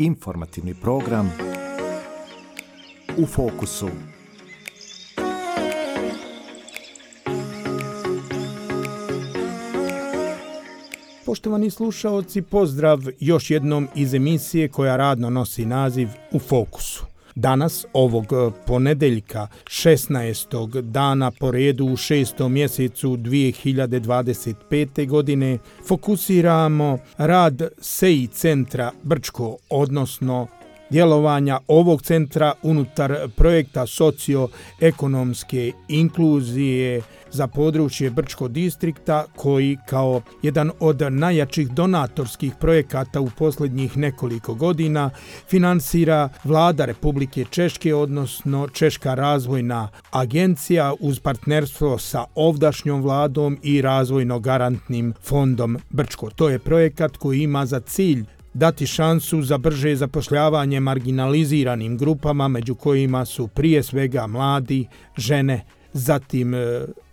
Informativni program U fokusu. Poštovani slušaoci, pozdrav još jednom iz emisije koja radno nosi naziv U fokusu. Danas, ovog ponedeljka, 16. dana po redu u 6. mjesecu 2025. godine, fokusiramo rad SEI centra Brčko, odnosno djelovanja ovog centra unutar projekta socioekonomske inkluzije za područje Brčko distrikta, koji kao jedan od najjačih donatorskih projekata u posljednjih nekoliko godina finansira Vlada Republike Češke, odnosno Češka razvojna agencija uz partnerstvo sa ovdašnjom vladom i razvojno-garantnim fondom Brčko. To je projekat koji ima za cilj dati šansu za brže zapošljavanje marginaliziranim grupama, među kojima su prije svega mladi, žene, zatim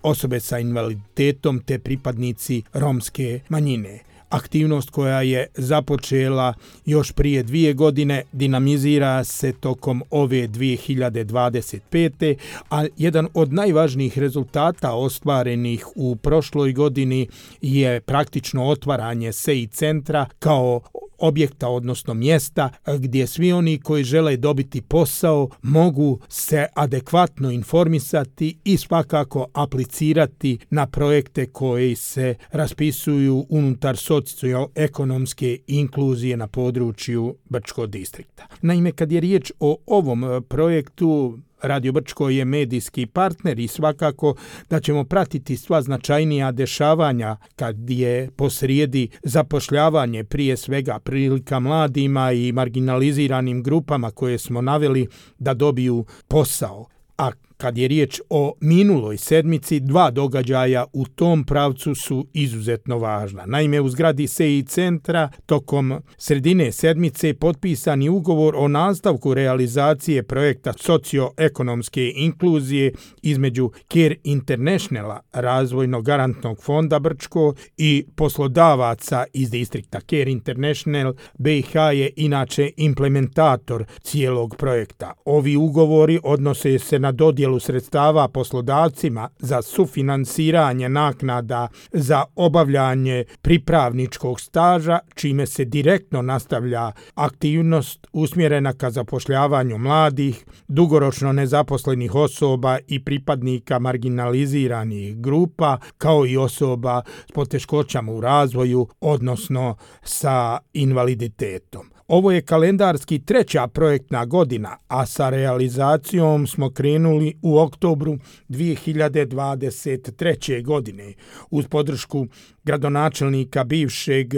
osobe sa invaliditetom te pripadnici romske manjine. Aktivnost koja je započela još prije 2 godine dinamizira se tokom ove 2025. a jedan od najvažnijih rezultata ostvarenih u prošloj godini je praktično otvaranje SEI centra kao objekta, odnosno mjesta gdje svi oni koji žele dobiti posao mogu se adekvatno informisati i svakako aplicirati na projekte koji se raspisuju unutar socioekonomske inkluzije na području Brčko distrikta. Naime, kad je riječ o ovom projektu, Radio Brčko je medijski partner i svakako da ćemo pratiti sva značajnija dešavanja kad je posrijedi zapošljavanje prije svega prilika mladima i marginaliziranim grupama koje smo naveli da dobiju posao. A kad je riječ o minuloj sedmici, 2 događaja u tom pravcu su izuzetno važna. Naime, u zgradi SEI centra tokom sredine sedmice potpisan je ugovor o nastavku realizacije projekta socioekonomske inkluzije između Care Internationala, razvojno-garantnog fonda Brčko, i poslodavaca iz distrikta. Care International BiH je inače implementator cijelog projekta. Ovi ugovori odnose se na dodjelu sredstava poslodavcima za sufinansiranje naknada za obavljanje pripravničkog staža, čime se direktno nastavlja aktivnost usmjerena ka zapošljavanju mladih, dugoročno nezaposlenih osoba i pripadnika marginaliziranih grupa, kao i osoba s poteškoćama u razvoju, odnosno sa invaliditetom. Ovo je kalendarski 3. projektna godina, a sa realizacijom smo krenuli u oktobru 2023. godine. Uz podršku gradonačelnika bivšeg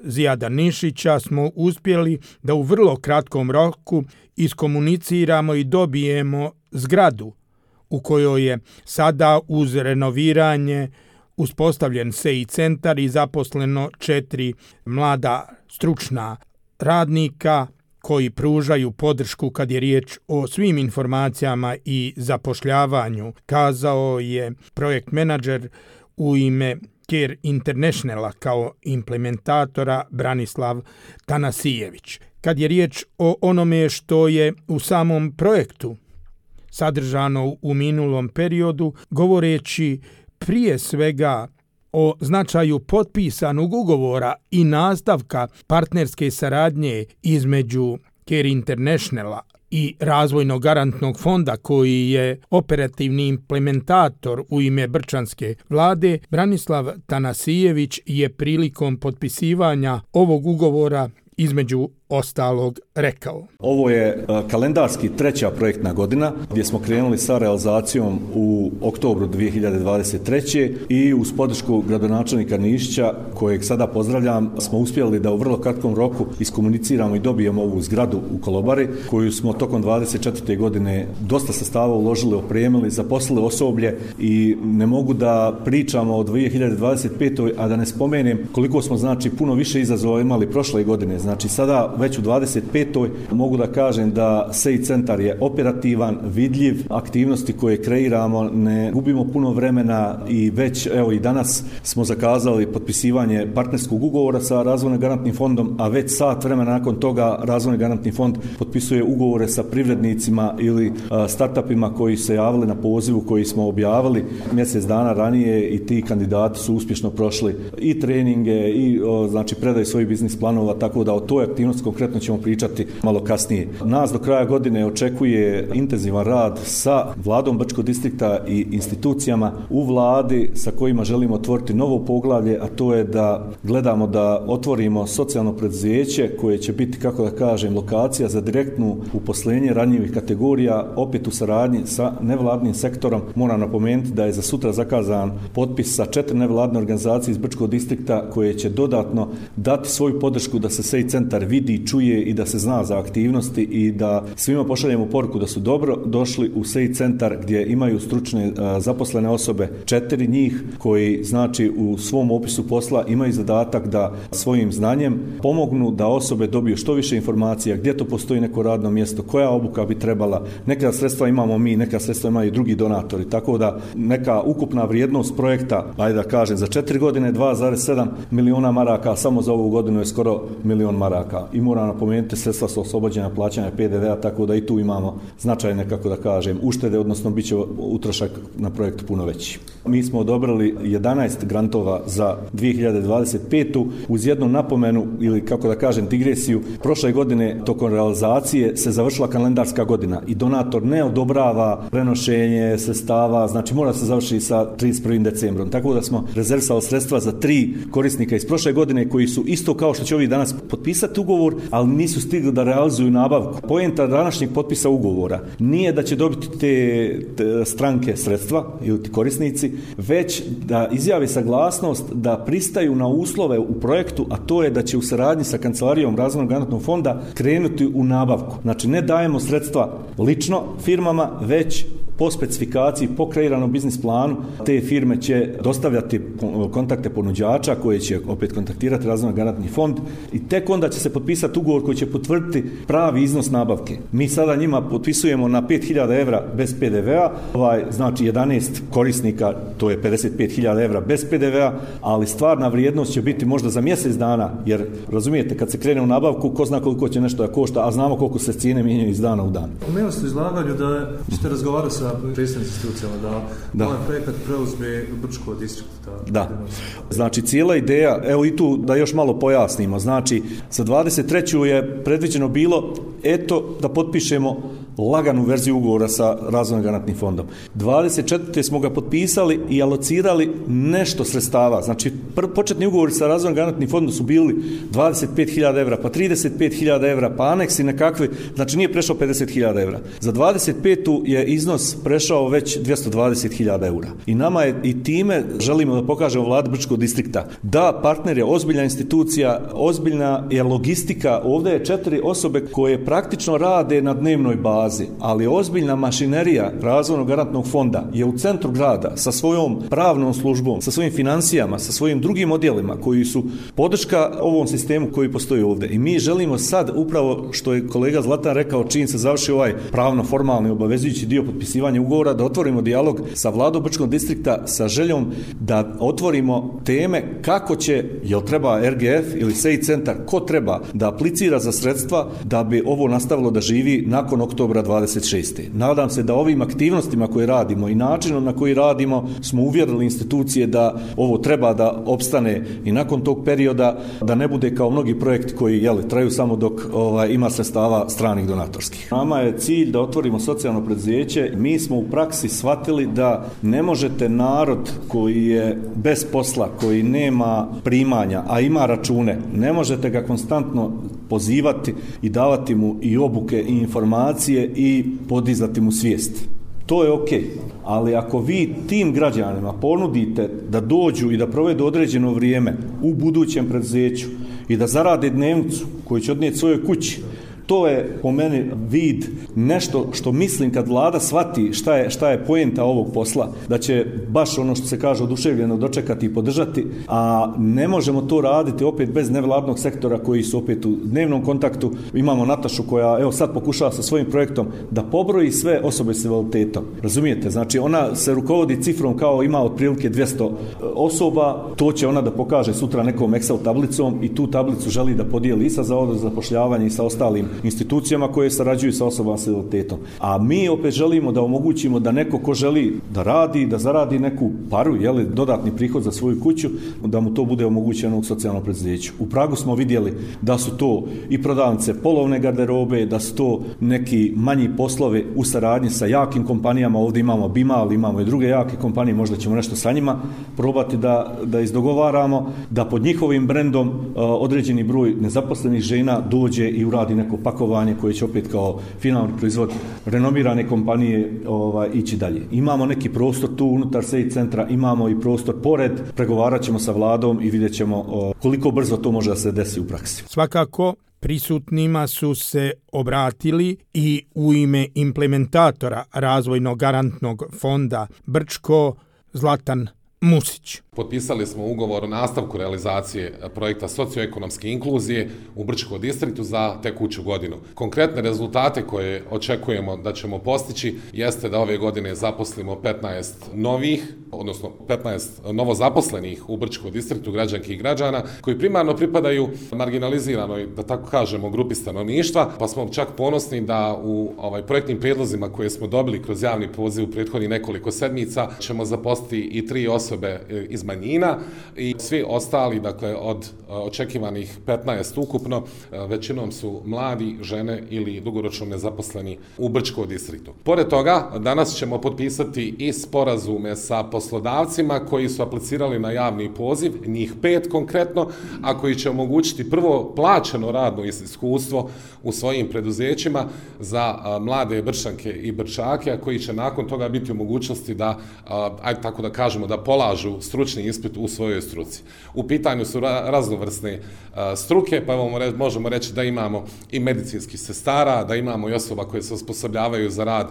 Zijada Nišića smo uspjeli da u vrlo kratkom roku iskomuniciramo i dobijemo zgradu u kojoj je sada uz renoviranje uspostavljen SEI centar i zaposleno 4 mlada stručna radnika koji pružaju podršku kad je riječ o svim informacijama i zapošljavanju, kazao je projekt menadžer u ime Care Internationala kao implementatora Branislav Tanasijević. Kad je riječ o onome što je u samom projektu sadržano u minulom periodu, govoreći prije svega o značaju potpisanog ugovora i nastavka partnerske saradnje između Care Internationala i razvojno-garantnog fonda koji je operativni implementator u ime brčanske vlade, Branislav Tanasijević je prilikom potpisivanja ovog ugovora između ostalog rekao. Ovo je kalendarski 3. projektna godina gdje smo krenuli sa realizacijom u oktobru 2023. i uz podršku gradonačelnika Nišića, kojeg sada pozdravljam, smo uspjeli da u vrlo kratkom roku iskomuniciramo i dobijemo ovu zgradu u Kolobari, koju smo tokom 24. godine dosta sredstava uložili, opremili, zaposlili osoblje i ne mogu da pričamo o 2025. a da ne spomenem koliko smo puno više izazova imali prošle godine. Sada već u 25. mogu da kažem da SEI centar je operativan, vidljiv, aktivnosti koje kreiramo, ne gubimo puno vremena i već evo i danas smo zakazali potpisivanje partnerskog ugovora sa Razvojno garantnim fondom, a već sat vremena nakon toga Razvojno garantni fond potpisuje ugovore sa privrednicima ili startupima koji se javili na pozivu koji smo objavili mjesec dana ranije i ti kandidati su uspješno prošli i treninge i znači predaju svojih biznis planova, tako da o toj aktivnosti konkretno ćemo pričati malo kasnije. Nas do kraja godine očekuje intenzivan rad sa vladom Brčkog distrikta i institucijama u vladi sa kojima želimo otvoriti novo poglavlje, a to je da gledamo da otvorimo socijalno preduzeće koje će biti, kako da kažem, lokacija za direktnu uposlenje ranjivih kategorija, opet u saradnji sa nevladnim sektorom. Moram napomenuti da je za sutra zakazan potpis sa 4 nevladne organizacije iz Brčkog distrikta koje će dodatno dati svoju podršku da se SEI centar vidi, čuje i da se zna za aktivnosti i da svima pošaljemo poruku da su dobro došli u SEI centar gdje imaju stručne zaposlene osobe, 4 njih koji znači u svom opisu posla imaju zadatak da svojim znanjem pomognu da osobe dobiju što više informacija, gdje to postoji neko radno mjesto, koja obuka bi trebala. Neka sredstva imamo mi, neka sredstva imaju i drugi donatori, tako da neka ukupna vrijednost projekta, ajde da kažem, za 4 godine 2,7 miliona maraka, samo za ovu godinu je skoro 1 milion maraka. I moram napomenuti, sredstva su oslobođena plaćanja PDV-a, tako da i tu imamo značajne, kako da kažem, uštede, odnosno bit će utrošak na projekt puno veći. Mi smo odobrili 11 grantova za 2025. uz jednu napomenu ili, kako da kažem, digresiju. Prošle godine tokom realizacije se završila kalendarska godina i donator ne odobrava prenošenje sredstava, znači mora se završiti sa 31. decembrom. Tako da smo rezervisali sredstva za 3 korisnika iz prošle godine koji su isto kao što će ovi danas potpisati ugovor, ali nisu stigli da realizuju nabavku. Poenta današnjeg potpisa ugovora nije da će dobiti te stranke sredstva ili ti korisnici, već da izjavi saglasnost da pristaju na uslove u projektu, a to je da će u saradnji sa Kancelarijom Razvojnog garantnog fonda krenuti u nabavku. Znači ne dajemo sredstva lično firmama, već po specifikaciji, po kreiranom biznis planu, te firme će dostavljati kontakte ponuđača koje će opet kontaktirati Razvojno garantni fond i tek onda će se potpisati ugovor koji će potvrditi pravi iznos nabavke. Mi sada njima potpisujemo na 5.000 evra bez PDV-a, znači 11 korisnika, to je 55.000 evra bez PDV-a, ali stvarna vrijednost će biti možda za mjesec dana, jer razumijete, kad se krene u nabavku, ko zna koliko će nešto da košta, a znamo koliko se cijene mijenjaju iz dana u dan. Pomenuli ste u izlaganju da ćete razgovarati sa predstavnim institucijama da ovaj projekat preuzme Brčko distrikta. Da. Znači cijela ideja, evo i tu da još malo pojasnimo, znači za 23. je predviđeno bilo da potpišemo laganu verziju ugovora sa Razvojnim garantnim fondom. 24. smo ga potpisali i alocirali nešto sredstava. Znači početni ugovori sa Razvojnim garantnim fondom su bili 25.000 evra, pa 35.000 evra, pa aneksi nekakve, znači nije prešao 50.000 evra. Za 25. je iznos prešao već 220.000 eura. I nama je i time želimo da pokažemo vladi Brčkog distrikta da partner je ozbiljna institucija, ozbiljna je logistika. Ovdje je 4 osobe koje praktično rade na dnevnoj bazi, ali ozbiljna mašinerija Razvojnog garantnog fonda je u centru grada sa svojom pravnom službom, sa svojim financijama, sa svojim drugim odjelima koji su podrška ovom sistemu koji postoji ovdje. I mi želimo sad, upravo što je kolega Zlatan rekao, čim se završi ovaj pravno-formalni obavezujući dio potpisivanja ugovora, da otvorimo dijalog sa vladom Brčkog distrikta sa željom da otvorimo teme kako će, jel treba RGF ili SEI centar, ko treba da aplicira za sredstva da bi ovo nastavilo da živi nakon oktobra 26. Nadam se da ovim aktivnostima koje radimo i načinom na koji radimo smo uvjerili institucije da ovo treba da opstane i nakon tog perioda, da ne bude kao mnogi projekti koji traju samo dok ima sredstava stranih donatorskih. Nama je cilj da otvorimo socijalno preduzeće. Mi smo u praksi shvatili da ne možete narod koji je bez posla, koji nema primanja, a ima račune, ne možete ga konstantno pozivati i davati mu i obuke i informacije i podizati mu svijest. To je ok, ali ako vi tim građanima ponudite da dođu i da provedu određeno vrijeme u budućem preduzeću i da zarade dnevnicu koju će odnijeti svojoj kući, To je po meni vid nešto što mislim kad vlada shvati šta je poenta ovog posla, da će baš ono što se kaže oduševljeno dočekati i podržati, a ne možemo to raditi opet bez nevladnog sektora koji su opet u dnevnom kontaktu. Imamo Natašu koja evo sad pokušava sa svojim projektom da pobroji sve osobe s invaliditetom. Razumijete? Znači ona se rukovodi cifrom kao ima otprilike 200 osoba, to će ona da pokaže sutra nekom Excel tablicom i tu tablicu želi da podijeli i sa Zavodom za zapošljavanje i sa ostalim institucijama koje sarađuju sa osobama s invaliditetom. A mi opet želimo da omogućimo da neko ko želi da radi, da zaradi neku paru, dodatni prihod za svoju kuću, da mu to bude omogućeno u socijalnom preduzeću. U Pragu smo vidjeli da su to i prodavnice polovne garderobe, da su to neki manji poslovi u saradnji sa jakim kompanijama. Ovdje imamo Bimal, imamo i druge jake kompanije, možda ćemo nešto sa njima probati da izdogovaramo, da pod njihovim brendom određeni broj nezaposlenih žena dođe i uradi neko pakovanje koje će opet kao finalni proizvod renomirane kompanije ići dalje. Imamo neki prostor tu unutar SEI centra, imamo i prostor pored, pregovarat ćemo sa vladom i vidjet ćemo koliko brzo to može da se desi u praksi. Svakako, prisutnima su se obratili i u ime implementatora razvojnog garantnog fonda Brčko Zlatan Musić. Potpisali smo ugovor o nastavku realizacije projekta socioekonomske inkluzije u Brčkom distriktu za tekuću godinu. Konkretne rezultate koje očekujemo da ćemo postići jeste da ove godine zaposlimo 15 novozaposlenih u Brčkom distriktu građanki i građana koji primarno pripadaju marginaliziranoj, da tako kažemo, grupi stanovništva, pa smo čak ponosni da u projektnim prijedlozima koje smo dobili kroz javni poziv u prethodnih nekoliko sedmica ćemo zaposliti i 3 osobe iz manjina i svi ostali, dakle od očekivanih 15 ukupno, većinom su mladi, žene ili dugoročno nezaposleni u Brčkom distriktu. Pored toga, danas ćemo potpisati i sporazume sa poslodavcima koji su aplicirali na javni poziv, njih 5 konkretno, a koji će omogućiti prvo plaćeno radno iskustvo u svojim preduzećima za mlade Brčanke i Brčake, a koji će nakon toga biti u mogućnosti da, ajde tako da kažemo, da polažu stručni ispit u svojoj struci. U pitanju su raznovrsne struke, pa možemo reći da imamo i medicinskih sestara, da imamo i osoba koje se osposobljavaju za rad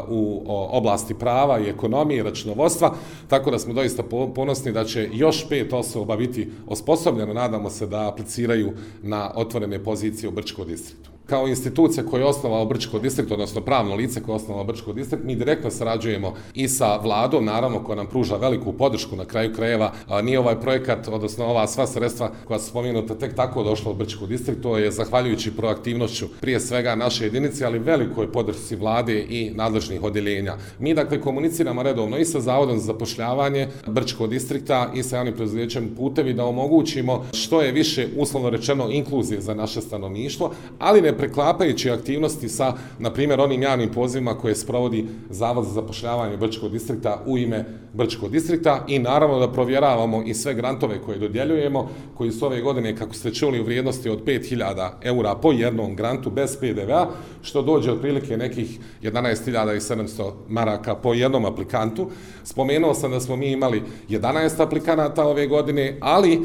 u oblasti prava i ekonomije i računovodstva, tako da smo doista ponosni da će još 5 osoba biti osposobljeno, nadamo se da apliciraju na otvorene pozicije u Brčkom distriktu. Kao institucija koja je osnovala Brčko distrikt, odnosno pravno lice koje je osnovala Brčko distrikt, mi direktno sarađujemo i sa vladom, naravno, koja nam pruža veliku podršku na kraju krajeva. Nije ovaj projekat, odnosno ova sva sredstva koja su spomenuta tek tako došla u Brčko distrikt, to je zahvaljujući proaktivnošću prije svega naše jedinice, ali velikoj podršci vlade i nadležnih odjeljenja. Mi dakle komuniciramo redovno i sa Zavodom za zapošljavanje Brčkog distrikta i sa javnim preduzećem Putevi da omogućimo što je više, uslovno rečeno, inkluzije za naše stanovništvo, ali ne preklapajući aktivnosti sa, na primjer, onim javnim pozivima koje sprovodi Zavod za zapošljavanje Brčkog distrikta u ime Brčkog distrikta i naravno da provjeravamo i sve grantove koje dodjeljujemo, koji su ove godine, kako ste čuli, u vrijednosti od 5.000 eura po jednom grantu bez PDV-a, što dođe otprilike nekih 11.700 maraka po jednom aplikantu. Spomenuo sam da smo mi imali 11 aplikanata ove godine, ali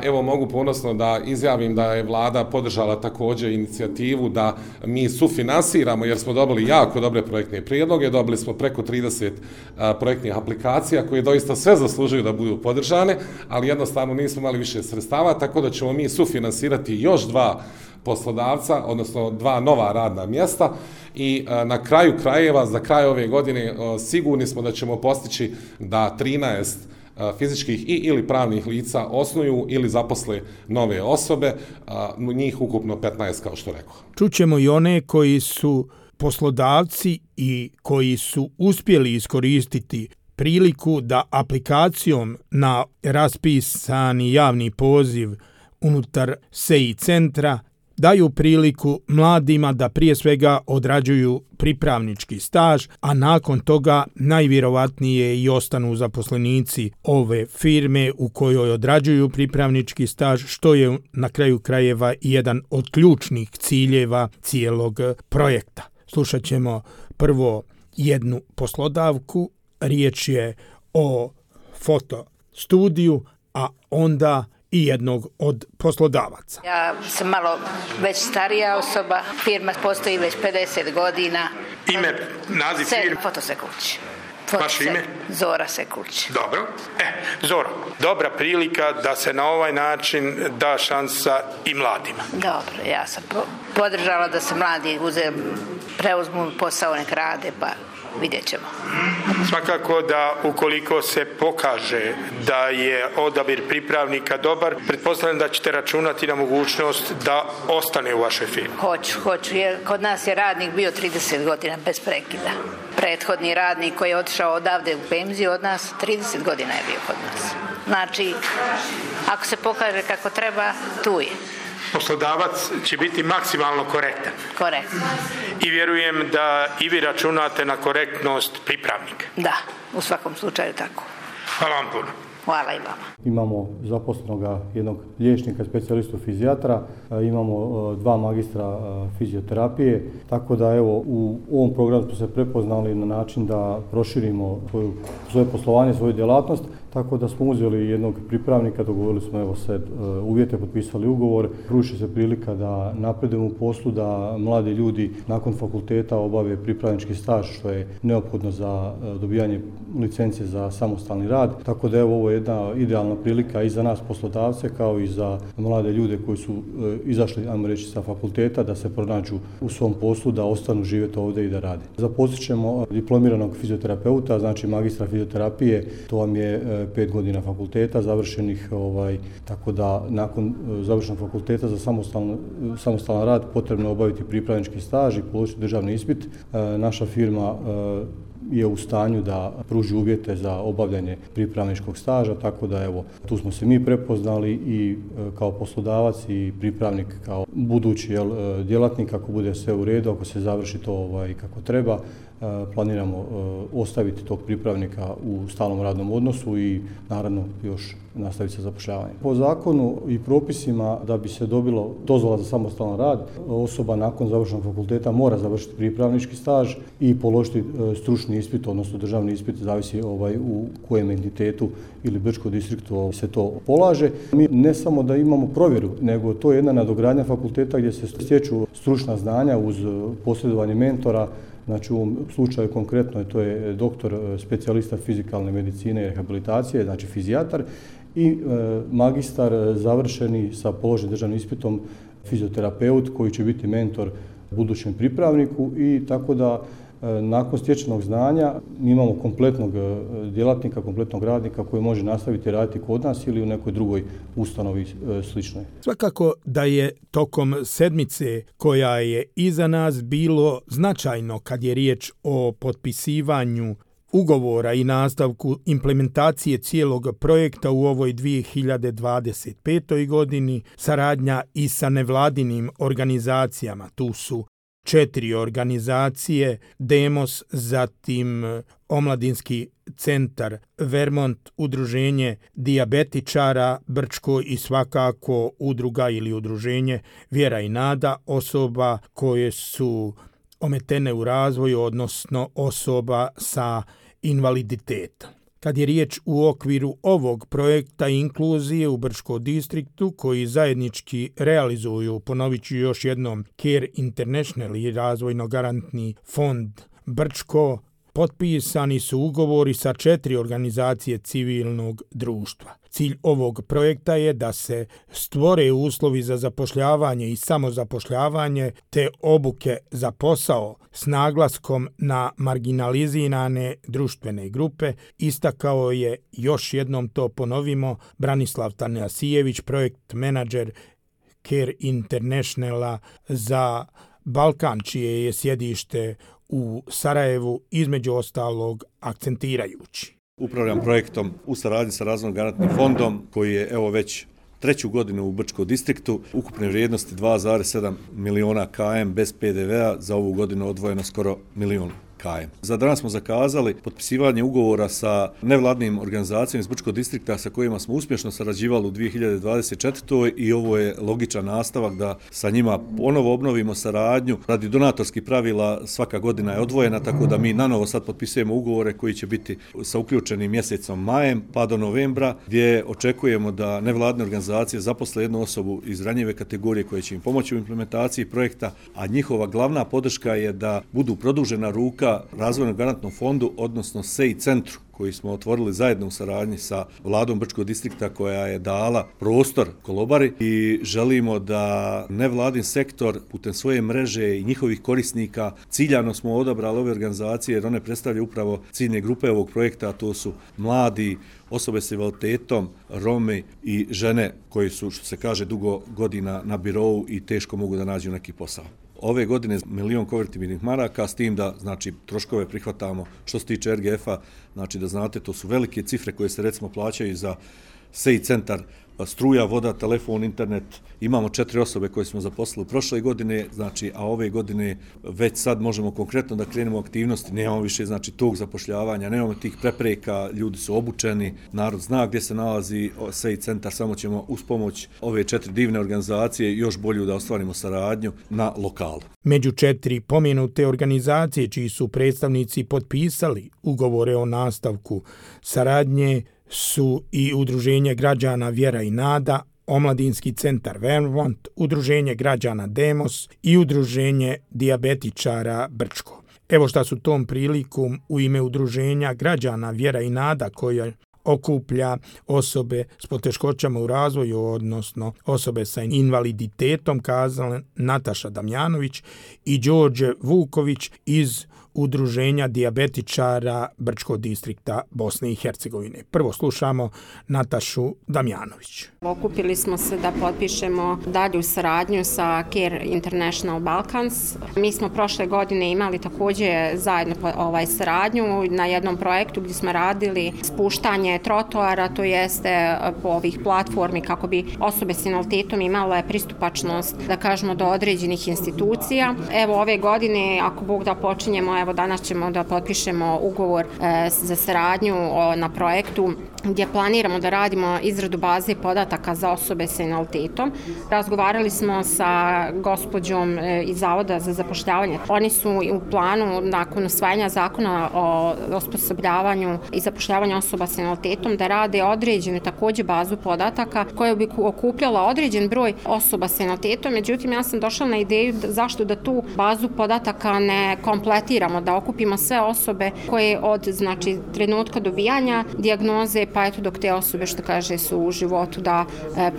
evo mogu ponosno da izjavim da je vlada podržala također inicijativu da mi sufinansiramo, jer smo dobili jako dobre projektne prijedloge, dobili smo preko 30 projektnih aplikacija koje doista sve zaslužuju da budu podržane, ali jednostavno nismo imali više sredstava, tako da ćemo mi sufinansirati još 2 poslodavca, odnosno 2 nova radna mjesta i na kraju krajeva, za kraj ove godine, sigurni smo da ćemo postići da 13 fizičkih ili pravnih lica osnuju ili zaposle nove osobe, njih ukupno 15, kao što rekao. Čućemo i one koji su poslodavci i koji su uspjeli iskoristiti priliku da aplikacijom na raspisani javni poziv unutar SEI centra daju priliku mladima da prije svega odrađuju pripravnički staž, a nakon toga najvjerovatnije i ostanu zaposlenici ove firme u kojoj odrađuju pripravnički staž, što je na kraju krajeva jedan od ključnih ciljeva cijelog projekta. Slušat ćemo prvo jednu poslodavku, riječ je o fotostudiju, a onda i jednog od poslodavaca. Ja sam malo već starija osoba, firma postoji već 50 godina. Ime, naziv firme? Fotosekulić. Vaše ime? Zora Sekulić. Dobro. Zora, dobra prilika da se na ovaj način da šansa i mladima. Dobro, ja sam podržala da se mladi preuzmu posao, nek rade, pa vidjet ćemo. Svakako da ukoliko se pokaže da je odabir pripravnika dobar, pretpostavljam da ćete računati na mogućnost da ostane u vašoj firmi. Hoću, jer kod nas je radnik bio 30 godina bez prekida. Prethodni radnik koji je otišao odavde u penziju od nas, 30 godina je bio kod nas. Znači, ako se pokaže kako treba, tu je. Poslodavac će biti maksimalno korektan. Korektno. I vjerujem da i vi računate na korektnost pripravnika. Da, u svakom slučaju tako. Hvala vam puno. Hvala i vama. Imamo zaposlenoga jednog liječnika, specijalistu fizijatra, imamo 2 magistra fizioterapije, tako da evo u ovom programu smo se prepoznali na način da proširimo svoje poslovanje, svoju djelatnost, tako da smo uzeli jednog pripravnika, dogovorili smo evo sad uvjete, potpisali ugovor, pruži se prilika da napredujemo u poslu, da mladi ljudi nakon fakulteta obave pripravnički staž, što je neophodno za dobijanje licencije za samostalni rad, tako da evo ovo je jedna idealna prilika i za nas poslodavce kao i za mlade ljude koji su izašli, ajmo reći, sa fakulteta da se pronađu u svom poslu, da ostanu živjeti ovdje i da rade. Zaposlit ćemo diplomiranog fizioterapeuta, znači magistra fizioterapije, to vam je 5 godina fakulteta završenih, tako da nakon završenog fakulteta za samostalan rad potrebno je obaviti pripravnički staž i položiti državni ispit. Naša firma je u stanju da pruži uvjete za obavljanje pripravničkog staža, tako da evo, tu smo se mi prepoznali i kao poslodavac i pripravnik kao budući djelatnik, ako bude sve u redu, ako se završi to kako treba, planiramo ostaviti tog pripravnika u stalnom radnom odnosu i naravno još nastaviti sa zapošljavanjem. Po zakonu i propisima da bi se dobilo dozvola za samostalan rad, osoba nakon završenog fakulteta mora završiti pripravnički staž i položiti stručni ispit, odnosno državni ispit, zavisi u kojem entitetu ili Brčkom distriktu se to polaže. Mi ne samo da imamo provjeru, nego to je jedna nadogradnja fakulteta gdje se stječu stručna znanja uz posredovanje mentora. Znači u ovom slučaju konkretno to je doktor specijalista fizikalne medicine i rehabilitacije, znači fizijatar, i magistar završeni sa položenim državnim ispitom fizioterapeut koji će biti mentor budućem pripravniku i tako da nakon stečenog znanja mi imamo kompletnog djelatnika, kompletnog radnika koji može nastaviti raditi kod nas ili u nekoj drugoj ustanovi sličnoj. Svakako da je tokom sedmice koja je iza nas bilo značajno kad je riječ o potpisivanju ugovora i nastavku implementacije cijelog projekta u ovoj 2025. godini, saradnja i sa nevladinim organizacijama. Tu su 4 organizacije, Demos, zatim Omladinski centar Vermont, udruženje dijabetičara Brčko i svakako udruga ili udruženje Vjera i nada osoba koje su ometene u razvoju, odnosno osoba sa invaliditetom. Kad je riječ u okviru ovog projekta inkluzije u Brčkom distriktu koji zajednički realizuju, ponovit ću još jednom, Care International i razvojno-garantni fond Brčko, potpisani su ugovori sa 4 organizacije civilnog društva. Cilj ovog projekta je da se stvore uslovi za zapošljavanje i samozapošljavanje te obuke za posao s naglaskom na marginalizirane društvene grupe, istakao je, još jednom to ponovimo, Branislav Tanasijević, projekt menadžer Care Internationala za Balkan, čije je sjedište u Sarajevu, između ostalog akcentirajući. Upravljam projektom u saradnji sa razvojno-garantnim fondom koji je evo već 3. godinu u Brčkom distriktu, ukupne vrijednosti 2,7 miliona KM bez PDV-a, za ovu godinu odvojeno skoro 1 milijun KM. Za danas smo zakazali potpisivanje ugovora sa nevladnim organizacijama iz Brčkog distrikta sa kojima smo uspješno sarađivali u 2024. i ovo je logičan nastavak da sa njima ponovo obnovimo saradnju. Radi donatorskih pravila svaka godina je odvojena, tako da mi nanovo sad potpisujemo ugovore koji će biti sa uključenim mjesecom majem pa do novembra, gdje očekujemo da nevladne organizacije zaposle jednu osobu iz ranjive kategorije koja će im pomoći u implementaciji projekta, a njihova glavna podrška je da budu produžena ruka Razvojnom garantnom fondu, odnosno SEI centru, koji smo otvorili zajedno u saradnji sa vladom Brčkog distrikta koja je dala prostor Kolobari i želimo da nevladin sektor putem svoje mreže i njihovih korisnika, ciljano smo odabrali ove organizacije jer one predstavljaju upravo ciljne grupe ovog projekta, a to su mladi, osobe s invaliditetom, Romi i žene koji su, što se kaže, dugo godina na birou i teško mogu da nađu neki posao. Ove godine 1 milion konvertibilnih maraka, s tim da znači troškove prihvatamo što se tiče RGF-a, znači da znate, to su velike cifre koje se recimo plaćaju za SEI centar, struja, voda, telefon, internet. Imamo 4 osobe koje smo zaposlili prošle godine, znači, a ove godine već sad možemo konkretno da krenemo aktivnosti, nemamo više znači tog zapošljavanja, nemamo tih prepreka, ljudi su obučeni, narod zna gdje se nalazi SEI centar, samo ćemo uz pomoć ove 4 divne organizacije još bolju da ostvarimo saradnju na lokalu. Među 4 pomenute organizacije čiji su predstavnici potpisali ugovore o nastavku saradnje su i Udruženje građana Vjera i Nada, Omladinski centar Vermont, Udruženje građana Demos i Udruženje dijabetičara Brčko. Evo šta su tom prilikom u ime Udruženja građana Vjera i Nada, koja okuplja osobe s poteškoćama u razvoju, odnosno osobe sa invaliditetom, kazale Nataša Damjanović i Đorđe Vuković iz Udruženja dijabetičara Brčkog distrikta Bosne i Hercegovine. Prvo slušamo Natašu Damjanović. Okupili smo se da potpišemo dalju saradnju sa Care International Balkans. Mi smo prošle godine imali također zajedno saradnju na jednom projektu gdje smo radili spuštanje trotoara, to jeste po ovih platformi kako bi osobe s invaliditetom imale pristupačnost, da kažemo, do određenih institucija. Evo ove godine, ako Bog da počinjemo, evo danas ćemo da potpišemo ugovor za saradnju na projektu gdje planiramo da radimo izradu baze podataka za osobe sa invaliditetom. Razgovarali smo sa gospođom iz Zavoda za zapošljavanje. Oni su u planu, nakon usvajanja zakona o osposobljavanju i zapošljavanju osoba sa invaliditetom, da rade određenu također bazu podataka koja bi okupljala određen broj osoba sa invaliditetom. Međutim, ja sam došla na ideju zašto da tu bazu podataka ne kompletiramo, da okupimo sve osobe koje od trenutka dobijanja dijagnoze pa eto dok te osobe, što kaže, su u životu, da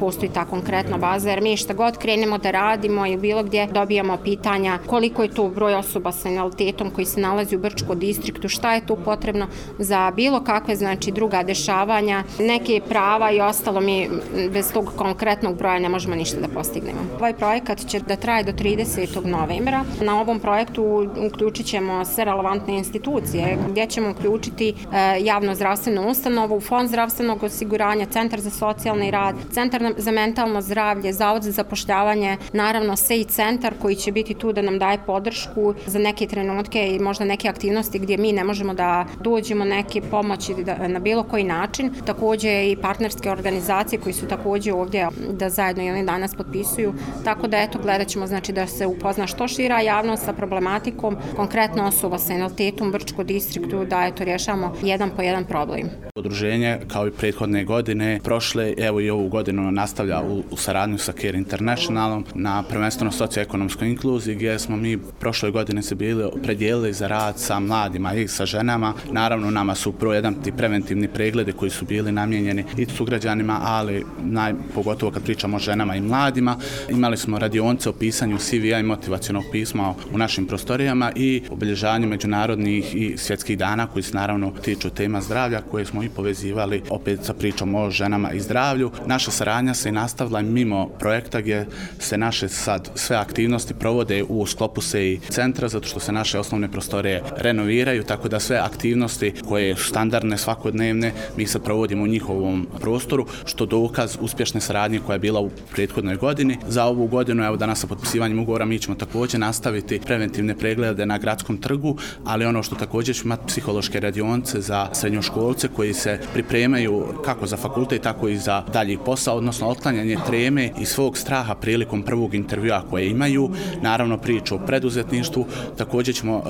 postoji ta konkretna baza, jer mi šta god krenemo da radimo i bilo gdje dobijamo pitanja koliko je to broj osoba sa invaliditetom koji se nalazi u Brčkom distriktu, šta je tu potrebno za bilo kakve druga dešavanja, neke prava i ostalo, mi bez tog konkretnog broja ne možemo ništa da postignemo. Ovaj projekat će da traje do 30. novembra. Na ovom projektu uključit ćemo sve relevantne institucije gdje ćemo uključiti javno zdravstvenu ustanovu, Fond zdravstvenog osiguranja, Centar za socijalni rad, Centar za mentalno zdravlje, Zavod za zapošljavanje, naravno SEI centar koji će biti tu da nam daje podršku za neke trenutke i možda neke aktivnosti gdje mi ne možemo da dođemo, neke pomoći na bilo koji način. Također i partnerske organizacije koji su također ovdje da zajedno i oni danas potpisuju. Tako da eto, gledat ćemo da se upozna što šira javnost sa problematikom, konkretno osoba sa invaliditetom u Brčkom distriktu, da eto rješavamo jedan po jedan problem. Udruženje, kao i prethodne godine, prošle, evo i ovu godinu nastavlja u saradnju sa Care Internationalom na prvenstveno socioekonomskoj inkluziji, gdje smo mi prošle godine se bili predijelili za rad sa mladima i sa ženama. Naravno, nama su jedan ti preventivni pregledi koji su bili namijenjeni i sugrađanima, ali pogotovo kad pričamo o ženama i mladima. Imali smo radionice o pisanju CV-a i motivacionog pisma u našim prostorijama i obilježavanju međunarodnih i svjetskih dana koji se naravno tiču tema zdravlja, koje smo i povezivali sarađivali opet sa pričom o ženama i zdravlju. Naša saradnja se nastavila mimo projekta gdje se naše sad sve aktivnosti provode u sklopu SEI centra, zato što se naše osnovne prostorije renoviraju, tako da sve aktivnosti koje su standardne, svakodnevne, mi sad provodimo u njihovom prostoru, što dokaz uspješne saradnje koja je bila u prethodnoj godini. Za ovu godinu, evo danas sa potpisivanjem ugovora, mi ćemo također nastaviti preventivne preglede na gradskom trgu, ali ono što također ćemo imati psihološke radionice za srednjoškolce koji se pripremaju kako za fakultet, tako i za dalji posao, odnosno otklanjanje treme i svog straha prilikom prvog intervjua koje imaju. Naravno, priču o preduzetništvu, također ćemo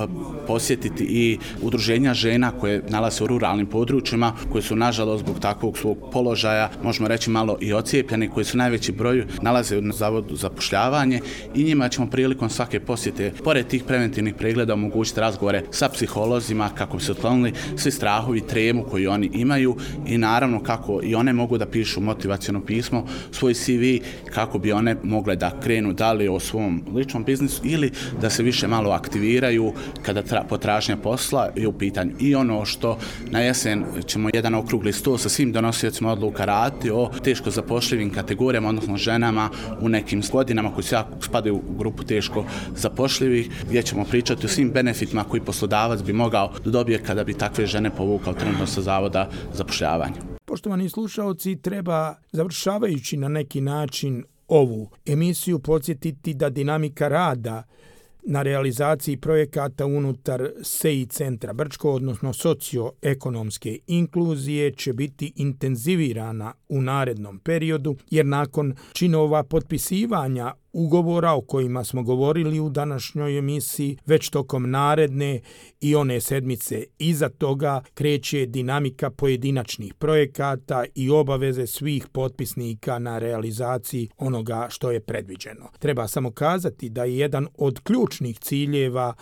posjetiti i udruženja žena koje nalaze u ruralnim područjima, koje su nažalost zbog takvog svog položaja, možemo reći malo i ocijepljeni, koji su najveći broj nalaze na zavodu za zapošljavanje i njima ćemo prilikom svake posjete, pored tih preventivnih pregleda, omogućiti razgovore sa psiholozima kako bi se otklonili svi strahovi, tremu koju oni imaju i naravno kako i one mogu da pišu motivaciono pismo, svoj CV, kako bi one mogle da krenu dalje o svom ličnom biznisu ili da se više malo aktiviraju kada potražnja posla je u pitanju. I ono što na jesen ćemo jedan okrugli stol sa svim donosiocima odluka raditi o teško zapošljivim kategorijama, odnosno ženama u nekim godinama koji spadaju u grupu teško zapošljivih, gdje ćemo pričati o svim benefitima koji poslodavac bi mogao da dobije kada bi takve žene povukao trenutno sa zavoda zapošljavanja. Poštovani slušaoci, treba, završavajući na neki način ovu emisiju, podsjetiti da dinamika rada na realizaciji projekata unutar SEI centra Brčko, odnosno socioekonomske inkluzije, će biti intenzivirana u narednom periodu, jer nakon činova potpisivanja ugovora o kojima smo govorili u današnjoj emisiji, već tokom naredne i one sedmice iza toga kreće dinamika pojedinačnih projekata i obaveze svih potpisnika na realizaciji onoga što je predviđeno. Treba samo kazati da je jedan od ključnih ciljeva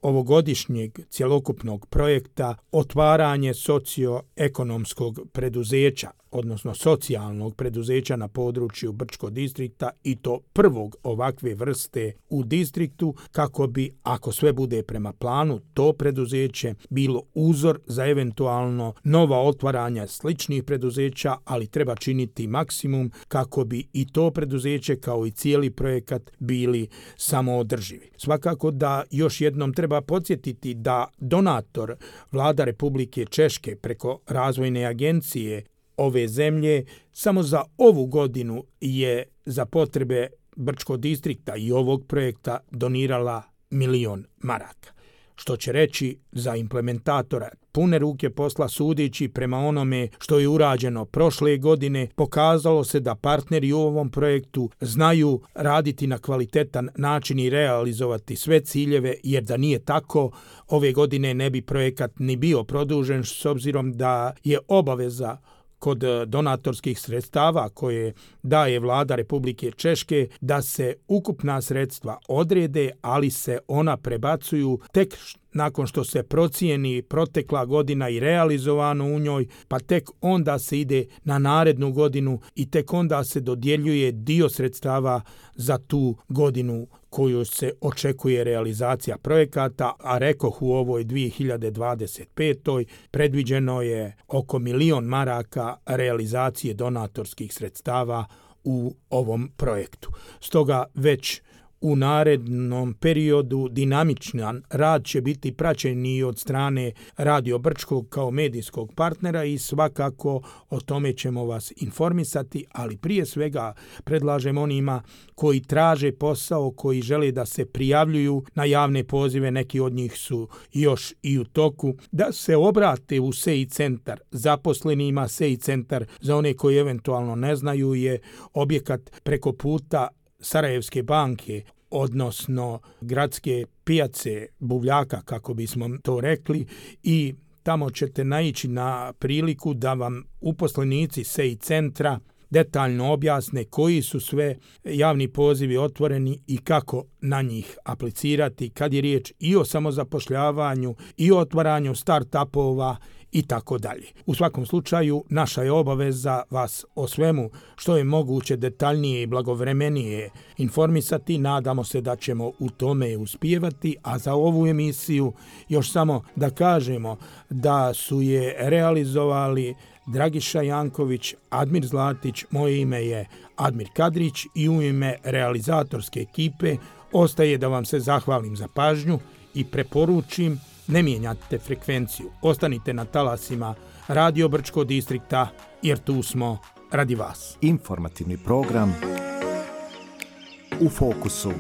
ovogodišnjeg cjelokupnog projekta otvaranje socioekonomskog preduzeća, odnosno socijalnog preduzeća na području Brčko distrikta i to prvog ovakve vrste u distriktu, kako bi, ako sve bude prema planu, to preduzeće bilo uzor za eventualno nova otvaranja sličnih preduzeća, ali treba činiti maksimum kako bi i to preduzeće kao i cijeli projekat bili samoodrživi. Svakako da još jednom treba podsjetiti da donator Vlada Republike Češke preko razvojne agencije ove zemlje samo za ovu godinu je za potrebe Brčko distrikta i ovog projekta donirala 1.000.000 maraka. Što će reći za implementatora pune ruke posla, sudeći prema onome što je urađeno prošle godine, pokazalo se da partneri u ovom projektu znaju raditi na kvalitetan način i realizovati sve ciljeve, jer da nije tako, ove godine ne bi projekat ni bio produžen, s obzirom da je obaveza kod donatorskih sredstava koje daje Vlada Republike Češke da se ukupna sredstva odrede, ali se ona prebacuju tek nakon što se procijeni protekla godina i realizovano u njoj, pa tek onda se ide na narednu godinu i tek onda se dodjeljuje dio sredstava za tu godinu koju se očekuje realizacija projekata, a rekoh u ovoj 2025. predviđeno je oko 1.000.000 maraka realizacije donatorskih sredstava u ovom projektu. Stoga već u narednom periodu dinamičan rad će biti praćen i od strane Radio Brčkog kao medijskog partnera i svakako o tome ćemo vas informisati, ali prije svega predlažem onima koji traže posao, koji žele da se prijavljuju na javne pozive, neki od njih su još i u toku, da se obrate u SEI centar zaposlenima. SEI centar, za one koji eventualno ne znaju, je objekat preko puta Sarajevske banke, odnosno gradske pijace Buvljaka, kako bismo to rekli, i tamo ćete naići na priliku da vam uposlenici SEI centra detaljno objasne koji su sve javni pozivi otvoreni i kako na njih aplicirati kad je riječ i o samozapošljavanju i o otvaranju start-upova i tako dalje. U svakom slučaju, naša je obaveza vas o svemu što je moguće detaljnije i blagovremenije informisati. Nadamo se da ćemo u tome uspijevati, a za ovu emisiju još samo da kažemo da su je realizovali Dragiša Janković, Admir Zlatić, moje ime je Admir Kadrić i u ime realizatorske ekipe ostaje da vam se zahvalim za pažnju i preporučim ne mijenjate frekvenciju. Ostanite na talasima Radio Brčko distrikta jer tu smo radi vas. Informativni program U fokusu.